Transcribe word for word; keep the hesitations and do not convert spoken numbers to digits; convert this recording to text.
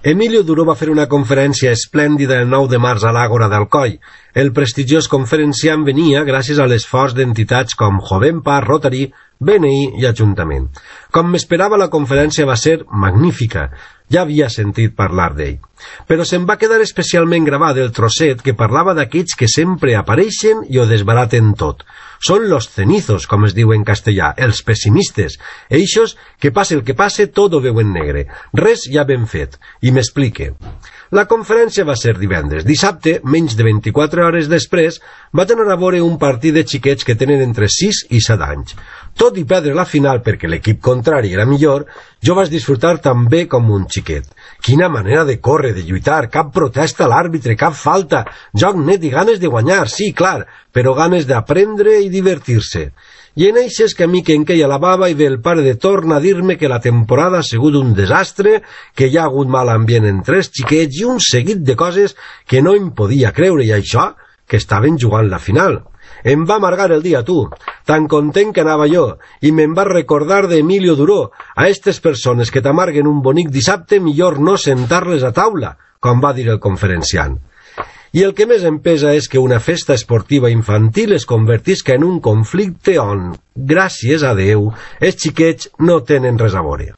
Emilio Duró va fer una conferència esplèndida el nou de març a l'Àgora d'Alcoi. El prestigiós conferenciant venia gràcies a l'esforç d'entitats com Jovempa, Rotary, B N I i Ajuntament. Com m'esperava, la conferència va ser magnífica. Ja havia sentit parlar d'ell. Però se'm va quedar especialment gravat el trosset que parlava d'aquells que sempre apareixen i ho desbaraten tot. Són los cenizos, com es diu en castellà, els pessimistes. Eixos que passe el que passe, tot ho veuen negre. Res ja ben fet. I m'explique. La conferència va ser divendres. Dissabte, menys de vint-i-quatre hores després, vaig anar a veure un partit de xiquets que tenen entre sis i set anys. Tot i perdre la final perquè l'equip contrari era millor, jo vaig disfrutar tan bé com un xiquet. Quina manera de córrer, de lluitar, cap protesta a l'àrbitre, cap falta, joc net i ganes de guanyar, sí, clar, però ganes d'aprendre i divertir-se. I en eixes que a mi que em queia la bava i ve el pare de torn a dir-me que la temporada ha sigut un desastre, que hi ha hagut mal ambient entre els xiquets i un seguit de coses que no em podia creure, i això, que estaven jugant la final. Em va amargar el dia, tu, tan content que anava jo, i me'n va recordar d'Emilio Duró. A estes persones que t'amarguen un bonic dissabte, millor no sentar-les a taula, com va dir el conferenciant. I el que més em pesa és que una festa esportiva infantil es convertisca en un conflicte on, gràcies a Déu, els xiquets no tenen res a veure.